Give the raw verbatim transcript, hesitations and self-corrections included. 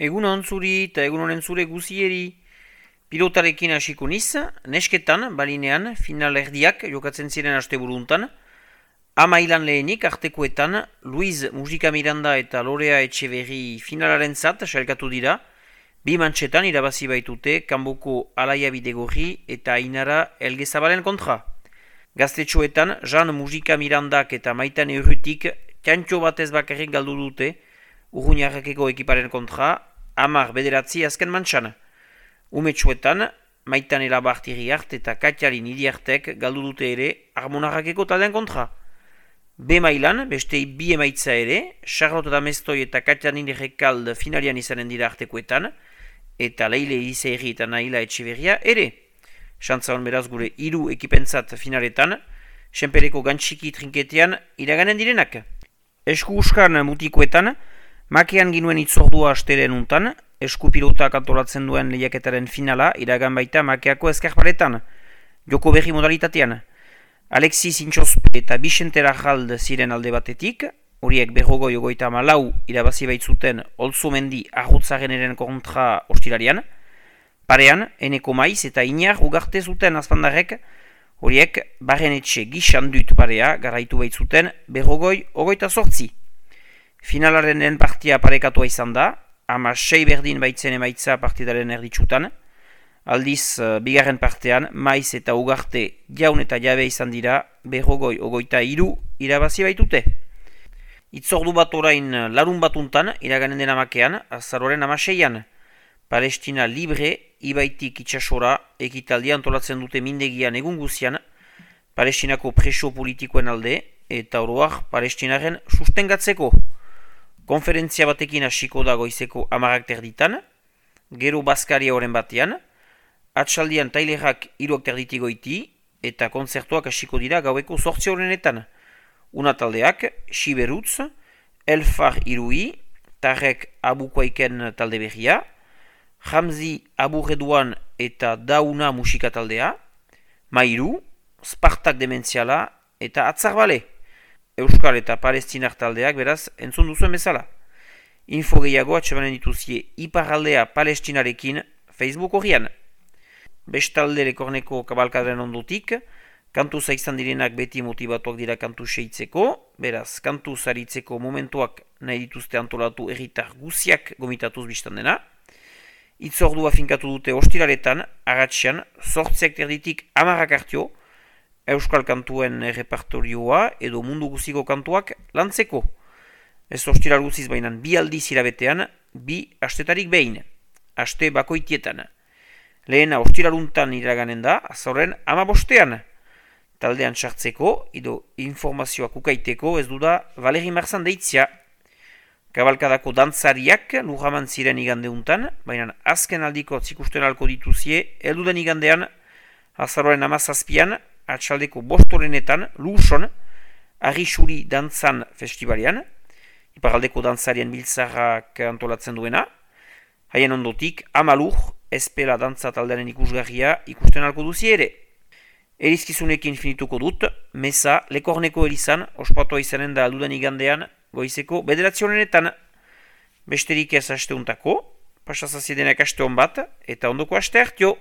Egun on zuri eta egun honen zure guzieri. Pilotarekin hasiko niz, nesketan, balinean, final erdiak jokatzen ziren asteburuntan. Ama ilan lehenik, artekoetan, Luiz Musika Miranda eta Lorea Etxeberri finalaren zat sailkatu dira. Bi mantxetan irabazi baitute Kanboko Alaia Bidegorri eta Ainara Elgezabalen kontra. Gaztetxoetan, Jean Musika Mirandak eta Maitane Urrutik txantxo batez bakarrik galdu dute Urruñarrakeko ekiparen kontra, hamar bederatzi azken mantxan. Umetxoetan, Maitane Labartiri hart eta Katialin Idiartek galdu dute ere Armonarrakeko taldean kontra. B mailan, beste bi emaitza ere, Charlotte Damestoi eta Katialin Rekald finalian izanen dira artekoetan, eta Leile Izeiri eta Naila Etxeberria ere. Xantza hon beraz gure hiru ekipentzat finaletan, Senpereko gantxiki trinketean iraganen direnak. Esku uskan mutikoetan, makean ginuen itzordua astelen untan, esku pilotak antolatzen duen lehiaketaren finala iragan baita makeako eskarparetan, joko berri modalitatean. Alexis Intxospe eta Bixente Rajald ziren alde batetik, horiek berrogoi ogoita malau irabazi baitzuten Olzomendi Arrutzareneren kontra ostirarian. Parean, Eneko Maiz eta Inar ugarte zuten azpandarrek, horiek Barrenetxe gixan dut parea garaitu baitzuten berrogoi ogoita sortzi. Finalaren lehen partia parekatua izan da, ama sei berdin baitzen emaitza partidaren erditsutan. Aldiz, bigarren partean, Maiz eta Ugarte jaun eta jabe izan dira, berrogoi ogoita hiru irabazi baitute. Itzordu bat orain larun batuntan, iraganen dena makean, azaroren amaseian. Palestina libre, ibaitik itxasora, ekitaldia antolatzen dute mindegian egun guzian, Palestinako preso politikoen alde, eta oroak Palestinaren sustengatzeko. Konferentzia batekin hasiko da goizeko amarak terditan, gero Baskaria horren batean, atxaldian tailerak hiruak terditik goiti, eta kontzertuak hasiko dira gaueko zortzi horrenetan. Una taldeak, Siberutz, Elfar Irui, Tarek Abukoaiken talde berria, Hamzi Aburreduan eta Dauna musika taldea, Mairu, Spartak Dementziala eta Atzarbale. Euskal eta Palestinar taldeak beraz entzun duzuen bezala. Info gehiago atxemanen dituzie Iparraldea Palestinarekin Facebook horrian. Bestalde Lekorneko kabalkadren ondotik, kantuz izan direnak beti motibatuak dira kantu seitzeko, beraz kantuz aritzeko momentuak nahi dituzte antolatu erritar guziak gomitatuz biztan dena. Itzordua finkatu dute ostiraretan, agatxean, sortziak terditik amarrak hartio, Euskal kantuen repertorioa edo mundu guziko kantuak lantzeko. Ez ostiral guziz bainan bi aldiz irabetean, bi astetarik behin, aste bakoitietan. Lehena ostiraluntan iraganen da, azoren amabostean. Taldean sartzeko, edo informazioak ukaiteko ez du da Valeri Marzan deitzia. Kabalkadako dantzariak lurraman ziren igandeuntan, baina azken aldiko zikusten alko dituzie, elduden igandean, azaroren amazazpian, atxaldeko bostorenetan, Luson, Arrisuri Dantzan Festivalean, iparaldeko dantzarien biltzarrak antolatzen duena, haien ondotik, Amalur, Espela dantza taldearen ikusgarria ikusten alko duzi ere. Erizkizunekin finituko dut, Meza, Lekorneko Elizan, ospatua izanen da aldudan igandean, goizeko bederatzionenetan. Besterik ez asteuntako, pasazaziedenak aste hon bat, eta ondoko aste hartio.